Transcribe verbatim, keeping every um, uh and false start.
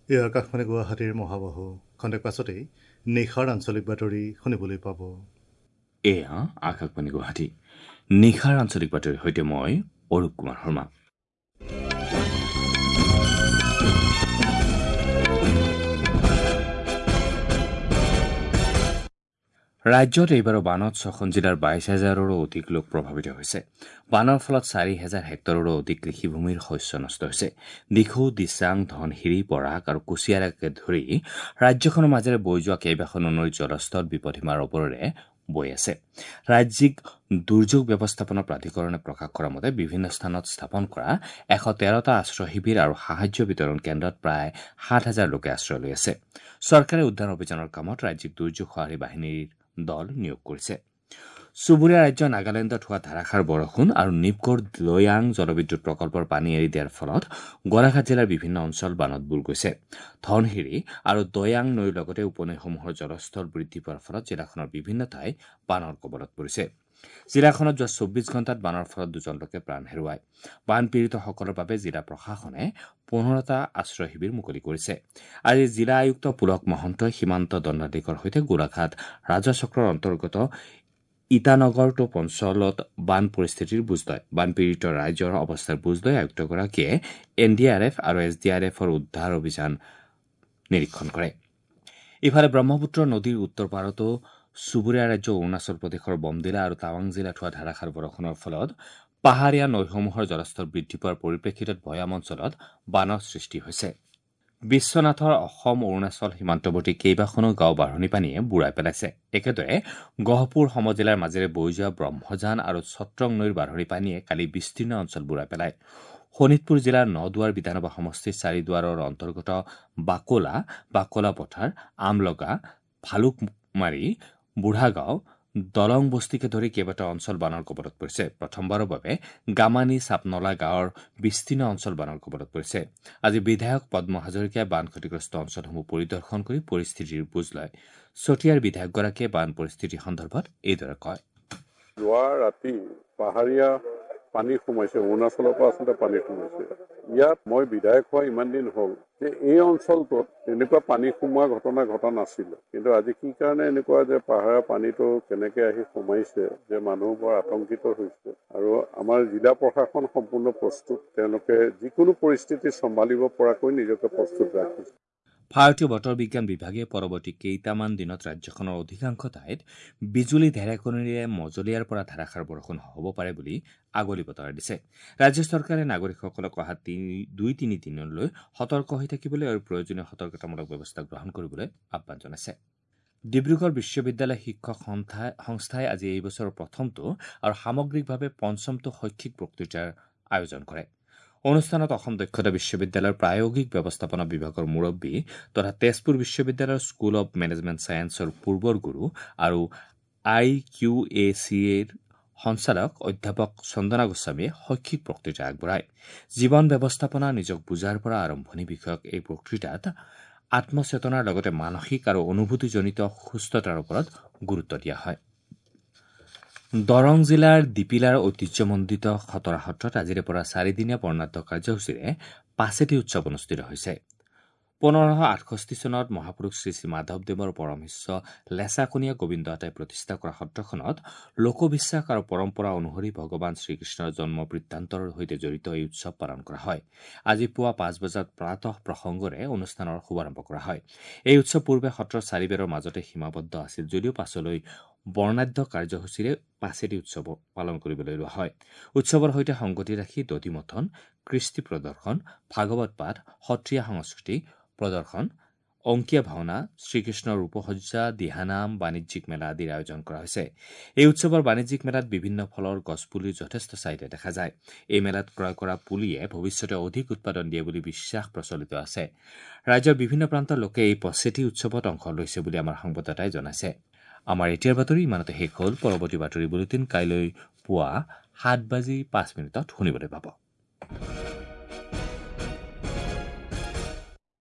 এই আকাশবাণী গুৱাহাটীৰ মহাবাহু। খন্তেক পাছতেই নিশাৰ আঞ্চলিক বাতৰি শুনিবলৈ পাব। এয়া আকাশবাণী গুৱাহাটী, নিশাৰ আঞ্চলিক বাতৰিৰ সৈতে মই অৰূপ কুমাৰ শৰ্মা। ৰাজ্যত এইবাৰো বানত ছখন জিলাৰ বাইছ হাজাৰৰো অধিক লোক প্ৰভাৱিত হৈছে। বানৰ ফলত চাৰি হেজাৰ হেক্টৰৰো অধিক কৃষিভূমিৰ শস্য নষ্ট হৈছে। দিখৌ, দিচাং, ধনশিৰি, বৰাক আৰু কুছিয়াৰাকে ধৰি ৰাজ্যখনৰ মাজেৰে বৈ যোৱা কেইবাখনো নৈৰ জলস্তৰ বিপদসীমাৰ ওপৰেৰে বৈ আছে। ৰাজ্যিক দুৰ্যোগ ব্যৱস্থাপনা প্ৰাধিকৰণে প্ৰকাশ কৰা মতে বিভিন্ন স্থানত স্থাপন কৰা এশ তেৰটা আশ্ৰয় শিবিৰ আৰু সাহায্য বিতৰণ কেন্দ্ৰত প্ৰায় সাত হাজাৰ লোকে আশ্ৰয় লৈ আছে। চৰকাৰে উদ্ধাৰ অভিযানৰ কামত ৰাজ্যিক দুৰ্যোগ সঁহাৰি বাহিনীৰ দল নিয়োগ কৰিছে। চুবুৰীয়া ৰাজ্য নাগালেণ্ডত হোৱা ধাৰাসাৰ বৰষুণ আৰু নিপকোৰ দৈয়াং জলবিদ্যুৎ প্ৰকল্পৰ পানী এৰি দিয়াৰ ফলত গোলাঘাট জিলাৰ বিভিন্ন অঞ্চল বানত বুৰ গৈছে। ধনশিৰি আৰু দৈয়াং নৈৰ লগতে উপনৈসমূহৰ জলস্তৰ বৃদ্ধি পোৱাৰ ফলত জিলাখনৰ বিভিন্ন ঠাই বানৰ কবলত পৰিছে। জিলাখনত যোৱা চৌব্বিছ ঘণ্টাত বানৰ ফলত দুজন লোকে প্ৰাণ হেৰুৱায়। বানপীড়িতসকলৰ বাবে জিলা প্ৰশাসনে পোন্ধৰটা আশ্ৰয় শিবিৰ মুকলি কৰিছে। আজি জিলা আয়ুক্ত পুলক মহন্তই সীমান্ত দণ্ডাধীশৰ সৈতে গোলাঘাট ৰাজচক্ৰৰ অন্তৰ্গত ইটানগৰ টোপ অঞ্চলত বান পৰিস্থিতিৰ বুজ লয়। বানপীড়িত ৰাইজৰ অৱস্থাৰ বুজ লৈ আয়ুক্তগৰাকীয়ে এন ডি আৰ এফ আৰু এছ ডি আৰ এফৰ উদ্ধাৰ অভিযান নিৰীক্ষণ কৰে। ইফালে ব্ৰহ্মপুত্ৰ নদীৰ উত্তৰ পাৰতো চুবুৰীয়া ৰাজ্য অৰুণাচল প্ৰদেশৰ বমডিলা আৰু টাৱাং জিলাত হোৱা ধাৰাসাৰ বৰষুণৰ ফলত পাহাৰীয়া নৈসমূহৰ জলস্তৰ বৃদ্ধি পোৱাৰ পৰিপ্ৰেক্ষিতত ভৈয়াম অঞ্চলত বানৰ সৃষ্টি হৈছে। বিশ্বনাথৰ অসম অৰুণাচল সীমান্তৱৰ্তী কেইবাখনো গাঁও বাঢ়নী পানীয়ে বুৰাই পেলাইছে। একেদৰে গহপুৰ সমজিলাৰ মাজেৰে বৈ যোৱা ব্ৰহ্মজান আৰু ছত্ৰং নৈৰ বাঢ়নী পানীয়ে কালি বিস্তীৰ্ণ অঞ্চল বুৰাই পেলায়। শোণিতপুৰ জিলাৰ নদুৱাৰ বিধানসভা সমষ্টিৰ চাৰিদুৱাৰৰ অন্তৰ্গত বাকোলা, বাকোলা পথাৰ, আমলগা, ভালুকমাৰী, বুঢ়াগাঁও, দলং বস্তিকে ধৰি কেইবাটাও অঞ্চল বানৰ কবলত পৰিছে। প্ৰথমবাৰৰ বাবে গামানী চাপনলা গাঁৱৰ বিস্তীৰ্ণ অঞ্চল বানৰ কবলত পৰিছে। আজি বিধায়ক পদ্ম হাজৰিকাই বান ক্ষতিগ্ৰস্ত অঞ্চলসমূহ পৰিদৰ্শন কৰি পৰিস্থিতিৰ বুজ লয়। চতিয়াৰ বিধায়কগৰাকীয়ে বান পৰিস্থিতি সন্দৰ্ভত এইদৰে কয়। যোৱা ৰাতি পাহাৰীয়া পানী সোমাইছে, অৰুণাচলৰ পৰা আচলতে পানী সোমাইছে। ইয়াত মই বিধায়ক হোৱা ইমান দিন হ'ল যে এই অঞ্চলটোত এনেকুৱা পানী সোমোৱা ঘটনা ঘটা নাছিলে, কিন্তু আজি কি কাৰণে এনেকুৱা যে পাহাৰৰ পানীটো কেনেকৈ আহি সোমাইছে যে মানুহ বৰ আতংকিত হৈছে। আৰু আমাৰ জিলা প্ৰশাসন সম্পূৰ্ণ প্ৰস্তুত, তেওঁলোকে যিকোনো পৰিস্থিতি চম্ভালিব পৰাকৈ নিজকে প্ৰস্তুত ৰাখিছে। ভাৰতীয় বতৰ বিজ্ঞান বিভাগে পৰৱৰ্তী কেইটামান দিনত ৰাজ্যখনৰ অধিকাংশ ঠাইত বিজুলী ঢেৰেকনিৰে মজলীয়াৰ পৰা ধাৰাসাৰ বৰষুণ হ'ব পাৰে বুলি আগলি বতৰা দিছে। ৰাজ্য চৰকাৰে নাগৰিকসকলক অহা দুই তিনি দিনলৈ সতৰ্ক হৈ থাকিবলৈ আৰু প্ৰয়োজনীয় সতৰ্কতামূলক ব্যৱস্থা গ্ৰহণ কৰিবলৈ আহ্বান জনাইছে। ডিব্ৰুগড় বিশ্ববিদ্যালয় শিক্ষক সংস্থাই আজি এই বছৰৰ প্ৰথমটো আৰু সামগ্ৰিকভাৱে পঞ্চমটো শৈক্ষিক বক্তৃতাৰ আয়োজন কৰে। অনুষ্ঠানত অসম দক্ষতা বিশ্ববিদ্যালয়ৰ প্ৰায়োগিক ব্যৱস্থাপনা বিভাগৰ মুৰব্বী তথা তেজপুৰ বিশ্ববিদ্যালয়ৰ স্কুল অৱ মেনেজমেণ্ট ছায়েন্সৰ পূৰ্বৰ গুৰু আৰু আই কিউ এ চি এৰ সঞ্চালক অধ্যাপক চন্দনা গোস্বামীয়ে শৈক্ষিক বক্তৃতা আগবঢ়ায়। জীৱন ব্যৱস্থাপনা নিজক বুজাৰ পৰা আৰম্ভণি বিষয়ক এই বক্তৃতাত আত্মচেতনাৰ লগতে মানসিক আৰু অনুভূতিজনিত সুস্থতাৰ ওপৰত গুৰুত্ব দিয়া হয়। দৰং জিলাৰ দিপিলাৰ ঐতিহ্যমণ্ডিত খতৰা সত্ৰত আজিৰে পৰা চাৰিদিনীয়া বৰ্ণাঢ্য কাৰ্যসূচীৰে পাচেতি উৎসৱ অনুষ্ঠিত হৈছে। পোন্ধৰশ আঠষষ্ঠি চনত মহাপুৰুষ শ্ৰী শ্ৰী মাধৱদেৱৰ পৰম শিষ্য লেচাকনীয়া গোবিন্দ আতাই প্ৰতিষ্ঠা কৰা সত্ৰখনত লোকবিশ্বাস আৰু পৰম্পৰা অনুসৰি ভগৱান শ্ৰীকৃষ্ণৰ জন্ম বৃত্তান্তৰ সৈতে জড়িত এই উৎসৱ পালন কৰা হয়। আজি পুৱা পাঁচ বজাত প্ৰাতঃ প্ৰসংগৰে অনুষ্ঠানৰ শুভাৰম্ভ কৰা হয়। এই উৎসৱ পূৰ্বে সত্ৰৰ চাৰিবেৰৰ মাজতে সীমাবদ্ধ আছিল যদিও পাছলৈ বৰ্ণাঢ্য কাৰ্যসূচীৰে পাচেতি উৎসৱ পালন কৰিবলৈ লোৱা হয়। উৎসৱৰ সৈতে সংগতি ৰাখি দধিমথন, কৃষ্টি প্ৰদৰ্শন, ভাগৱত পাঠ, সত্ৰীয়া সংস্কৃতি প্ৰদৰ্শন, অংকীয়া ভাওনা, শ্ৰীকৃষ্ণৰ ৰূপসজ্জা, দিহানাম, বাণিজ্যিক মেলা আদিৰ আয়োজন কৰা হৈছে। এই উৎসৱৰ বাণিজ্যিক মেলাত বিভিন্ন ফলৰ গছপুলিৰ যথেষ্ট চাহিদা দেখা যায়। এই মেলাত ক্ৰয় কৰা পুলিয়ে ভৱিষ্যতে অধিক উৎপাদন দিয়ে বুলি বিশ্বাস প্ৰচলিত আছে। ৰাজ্যৰ বিভিন্ন প্ৰান্তৰ লোকে এই পচেতি উৎসৱত অংশ লৈছে বুলি আমাৰ সংবাদদাতাই জনাইছে। আমাৰ এতিয়াৰ বাতৰি ইমানতে শেষ হ'ল। পৰৱৰ্তী বাতৰি বুলেটিন কাইলৈ পুৱা সাত বাজি পাঁচ মিনিটত শুনিবলৈ পাব।